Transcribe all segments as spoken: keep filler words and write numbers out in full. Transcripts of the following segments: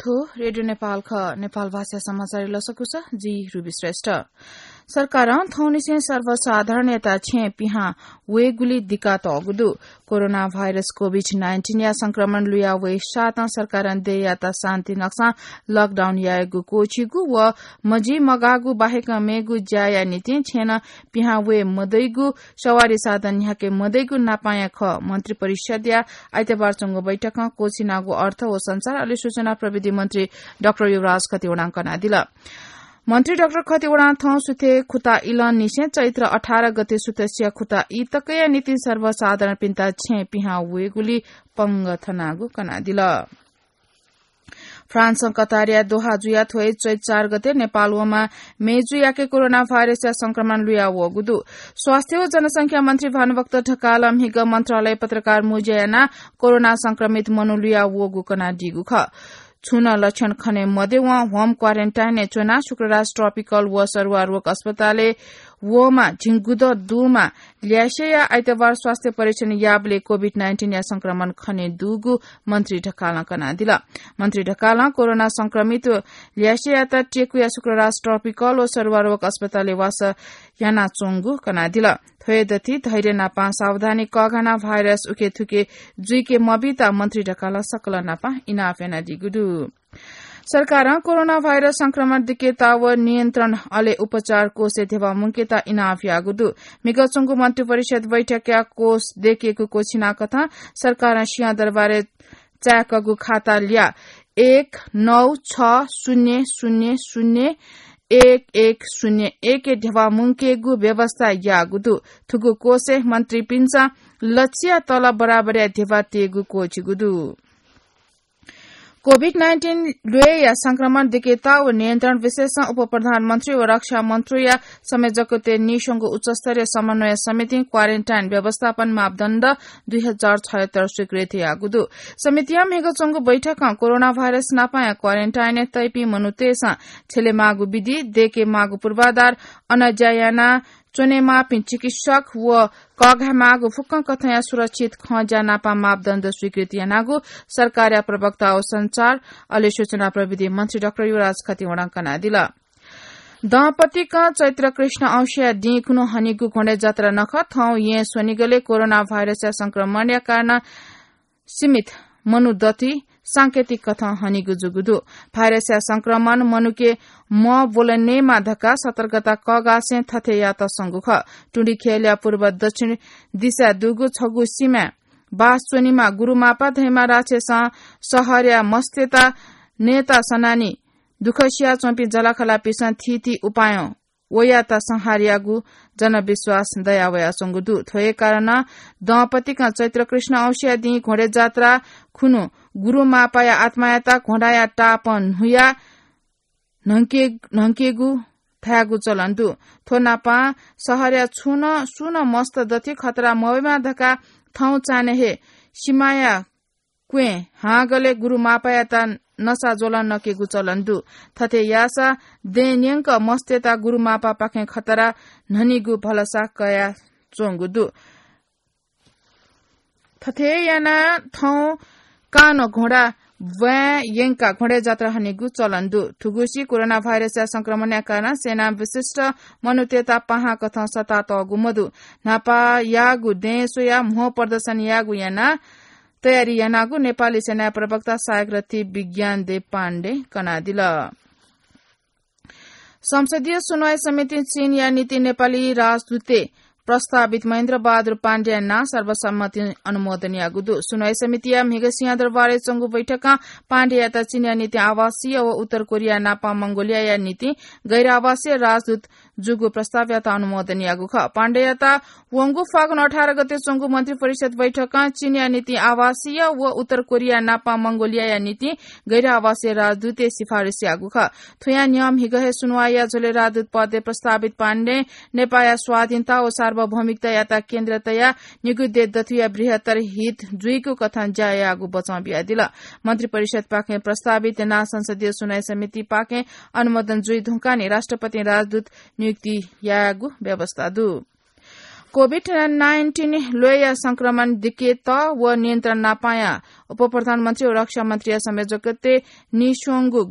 थ्व रेडियो नेपाल खः। नेपाल भाषा समाचार लसकुस, जि रुबी श्रेष्ठ। सरकारं थौंनिसें सर्वसाधारणयात छेँ पिहां वयेगुली दिकातःगु दु। कोरोना भाइरस कोभिड नाइन्टिनया संक्रमण लुया वये साथं सरकारं देय्‌यात शान्ति नक्सां लकडाउन यायेगु क्वःछिगु व मजिमगाःगु बाहेक मेगु ज्याया निंतिं छेँ नं पिहां वये मदइगु, सवारी साधन न्ह्याके मदइगु नापांया खः। मन्त्री परिषदया आइतबार च्वंगु बैठकं क्वःछिनागु अर्थ व सञ्चार अले सूचना प्रविधि मन्त्री डाक्टर युवराज खतिवडां कनादिल। मन्त्री डाक्टर खतिवडां थौं सुथय् खुता इलंनिसें चैत्र अठार गते सुथसिया खुता ई तकया निंतिं सर्वसाधारणपिन्त छेँ पिहां वयेगुली पंगः थनागु कनादिल। फ्रान्सं कतारया दोहा जुया थ्वय् चैत चार गते नेपाल वंम्ह मेजुयाके कोरोना भाइरसया संक्रमण लुया वःगु दु। स्वास्थ्य व जनसंख्या मन्त्री भानुभक्त ढकालं म्हिगः मन्त्रालय पत्रकार मुँज्या यानाः कोरोना संक्रमित मनू लुया वःगु कनादीगु खः। छुं नं लक्षण खने मद्यवं होम क्वारेन्टाइनय् च्वनाः शुक्रराज ट्रपिकल व सरुवा रोग अस्पतालय् वःम्ह झिंगुदँ दुम्ह ल्यासेया आइतबार स्वास्थ्य परीक्षण याःबलय् कोभिड नाइन्टिनया संक्रमण खने दुगु मन्त्री ढकालं कनादिल। मन्त्री ढकालं कोरोना संक्रमित ल्यासेयात टेकुया शुक्रराज ट्रपिकल व सरुवा रोग अस्पतालय् वासः यानाच्वंगु कनादिल। थ्वय् दथि धैर्य नापं सावधानी कःघानाः भाइरस उखेथुखे जुइके मबीत मन्त्री ढकालं सकल नापं इनाप यानादीगु दु। सरकारं कोरोना भाइरस संक्रमण दिकेता व नियन्त्रण अले उपचार कोषय् ध्यबा मुंकेता इनाप याःगु दु। म्हिगः च्वंगु मन्त्री परिषद बैठकया कोष दयेकेगु क्वःछिनाकथं सरकारं सिंहदरबारय् चाय्‌कःगु खाता ल्याः एक नौ छ शून्य शून्य शून्य एक एक शून्य एकय् ध्यबा मुंकेगु व्यवस्था याःगु दु। थुगु कोषय् मन्त्रीपिन्सं लच्छिया तलब बराबरया ध्यबा तयेगु क्वःछिगु दु। कोभिड नाइन्टिन ल्वय्‌या संक्रमण दिकेता व नियन्त्रण विषयसं उपप्रधानमन्त्री व रक्षा मन्त्रीया संयोजकत्वय् नीस्वंगु उच्चस्तरीय समन्वय समितिं क्वारेन्टाइन व्यवस्थापन मापदण्ड दुई हजार छयत्तर स्वीकृत याःगु दु। समितिया म्हिगः च्वंगु बैठकं कोरोना भाइरस नापांया क्वारेन्टाइनय् तइपिं मनूतय्‌सं छ्यलेमाःगु विधि, दयेकेमाःगु पूर्वाधार, अन ज्या याना च्वनेमाःपिं चिकित्सक व कःघायेमाःगु फुक्कं कथंया सुरक्षित खँज्या नापं मापदण्ड स्वीकृत यानागु सरकारया प्रवक्ता व सञ्चार अले सूचना प्रविधि मन्त्री डाक्टर युवराज खतिवडां कनादिल। दँपतिकं चैत्र कृष्ण औँसीया दिं खुन्हु हनीगु घोडे जात्रा नखः थौं येँ स्वनिगलय् कोरोना भाइरसया संक्रमणया कारणं सीमित मनू दथुइ सांकेतिक कथं हनीगु जूगु दु। भाइरसया संक्रमण मनूके मब्वलनेमा धकाः सतर्कता कःघासें थथे यात संगु खः। टुँडिख्यलया पूर्व दक्षिण दिशाय् दुगु छगू सिमाय् बास च्वनीम्ह गुरुमापा धइम्ह राक्षसं शहरया मस्तय्‌त नयेत सनानि दुःख सियाच्वंपिं जःलाखःलापिन्सं थीथी उपायं वयात संहार याःगु जनविश्वास दयावयाच्वंगु दु। थ्व हे कारणं दँपतिकं चैत्र कृष्ण औँसीया दिं घोडे जात्रा खुन्हु गुरुमापाया आत्मायात घोडाया टापं न्हुया न्हंके-, न्हंकेगु धायेगु चलन दु। थ्व नापं शहरया छुं नं, सुं नं मस्त दथुइ खतरा मवयेमा धकाः थौं चान्हय् हे सिमाया क्वँय् हांगलय् गुरुमापायात नसा ज्वलं नकेगु चलन दु। थथे याःसा दँय् न्यंक मस्तय्‌त गुरुमापापाखें खतरा न्हनीगु भलसा कयाच्वंगु दु। थथे यानाः थौं कानं घोडा ब्वाँय् यंकाः घोडे जात्रा हनीगु चलन दु। थुगुसी कोरोना भाइरसया संक्रमणया कारणं सेना विशिष्ट मनूतय्‌त पाहां कथं सःतातःगु मदु। न्हापा याःगु दँय् स्वयाः म्हो प्रदर्शन याःगु यानाः तयारी यानागु नेपाली सेनाया प्रवक्ता सहायक रथी विज्ञान देव पाण्डे कनादिल। संसदीय सुनवाई समितिं चीनया निंतिं नेपाली राजदूतय् प्रस्तावित महेन्द्र बहादुर पाण्डेया नां सर्वसम्मतिं अनुमोदन याःगु दु। सुनवाई समितिया म्हिगः सिंहदरबारय् च्वंगु बैठकं पाण्डेयात चीनया निंतिं आवासीय व उत्तर कोरिया नापं मंगोलियाया निंतिं गैर आवासीय राजदूत जूगु प्रस्तावयात अनुमोदन याःगु खः। पाण्डेयात वंगु फागुन अठार गते च्वंगु मन्त्री परिषद बैठकं चीनया निंतिं आवासीय व उत्तर कोरिया नापं मंगोलियाया निंतिं गैर आवासीय राजदूतय् सिफारिस याःगु खः। थुया न्ह्यः म्हिगः हे सुनवाईया झ्वलय् राजदूत पदय् प्रस्तावित पाण्डें नेपाःया स्वाधीनता व सार्वभौमिकतायात केन्द्र तयाः निगू देय् दथुइया बृहत्तर हित जुइगु कथं ज्या याःगु बचं बियादिल। मन्त्री परिषदपाखें प्रस्तावित नां संसदीय सुनवाई समितिपाखें अनुमोदन जुइ धुंकाः नि राष्ट्रपतिं राजदूत नियुक्ति यायेगु व्यवस्था दु। COVID nineteen ल्वय्‌या संक्रमण दिकेत व नियन्त्रण नापाया उपप्रधानमन्त्री व रक्षा मन्त्रीया संयोजकत्वय् नीस्वंगु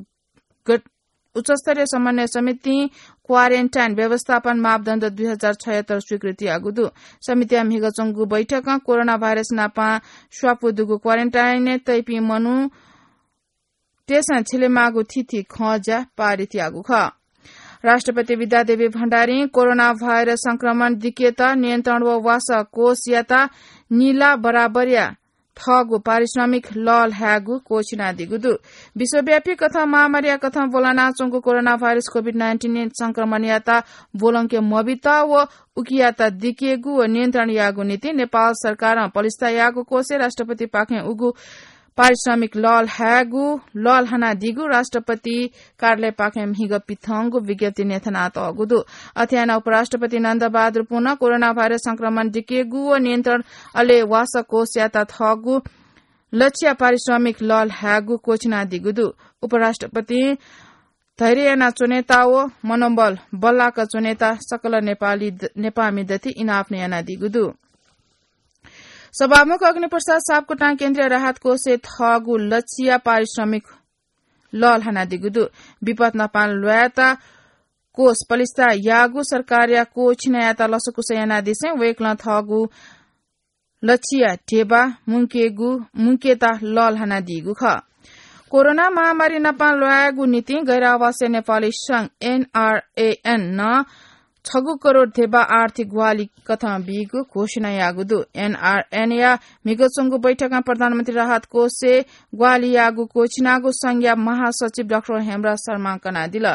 गट-, उच्चस्तरीय समन्वय समितिं क्वारेन्टाइन व्यवस्थापन मापदण्ड दुई हजार छयत्तर स्वीकृति याःगु दु। समितिया म्हिगः च्वंगु बैठकं कोरोना भाइरस नापं स्वापू दुगु क्वारेन्टाइनय् तइपिं मनूतय्‌सं झिलेमाःगु थीथी खँज्या पारित याःगु खः। राष्ट्रपति विद्यादेवी भण्डारीं कोरोना भाइरस संक्रमण दिकेत नियन्त्रण व वासः कोषयात निला बराबरया थःगु पारिश्रमिक लःल्हायेगु क्वःछिनादीगु दु। विश्वव्यापी कथं महामारीया कथं ब्वलनाच्वंगु कोरोना भाइरस COVID nineteen संक्रमणयात ब्वलंके मबित व उकियात दिकेगु व नियन्त्रण यायेगु निंतिं नेपाल सरकारं पलिस्था याःगु कोषय् राष्ट्रपतिपाखें उगु पारिश्रमिक लःल्हायेगु लःल्हानादीगु राष्ट्रपति कार्यालयपाखें म्हिगः पिथंगु विज्ञप्ति न्ह्यथनातःगु दु। अथे यानाः उपराष्ट्रपति नन्दबहादुर पुनं कोरोना भाइरस संक्रमण दिकेगु व नियन्त्रण अले वासः कोषयात थःगु लछिया पारिश्रमिक लःल्हायेगु क्वःछिनादीगु दु। उपराष्ट्रपतिं धैर्य यानाच्वनेत व मनोबल बल्लाक च्वनेत सकल नेपाली द-, नेपाःमि दथि इनाप नं यानादीगु दु। सभामुख अग्निप्रसाद सापकोटां केन्द्रीय राहत कोषय् थःगु लछिया पारिश्रमिक लःल्हानादीगु दु। विपत नापं ल्वायेत कोष पलिस्था याःगु सरकारया क्वःछिनायात लसकुस यानादिसें वय्‌कलं थःगु लछिया ध्यबा मुंकेगु, मुंकेत लःल्हानादीगु खः। कोरोना महामारी नापं ल्वायेगु निंतिं गैर आवासीय नेपाली संघ, एनआरएएन, नं छगू करोड ध्यबा आर्थिक ग्वाहालि कथं बीगु घोषणा याःगु दु। एनआरएएनया म्हिगः च्वंगु बैठकं प्रधानमन्त्री राहत कोषय् ग्वाहालि याःगु क्वःछिनागु संघया महासचिव डाक्टर हेमराज शर्मां कनादिल।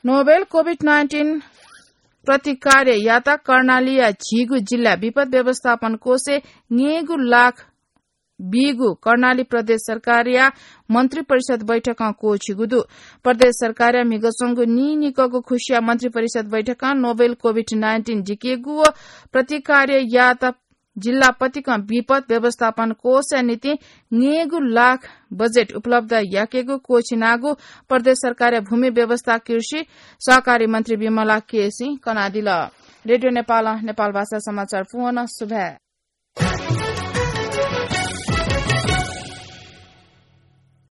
नोभेल COVID nineteen प्रतिकार्ययात कर्णालीया झिगू जिल्ला विपत व्यवस्थापन कोषय् न्यय्‌गू लाख बीगु कर्णाली प्रदेश सरकारया मन्त्री परिषद बैठकं क्वःछिगु दु। प्रदेश सरकारया म्हिगः च्वंगु नीनिकःगु खुसिया मन्त्री परिषद बैठकं नोभेल COVID nineteen दिकेगु व प्रतिकार्ययात जिल्ला पतिकं विपत व्यवस्थापन कोषया निंतिं न्यय्‌गू लाख बजेट उपलब्ध याकेगु क्वःछिनागु प्रदेश सरकारया भूमि व्यवस्था कृषि सहकारी मन्त्री विमला केसीं कनादिल। रेडियो नेपालं नेपाल भाषा समाचार पूवं सुभाय्।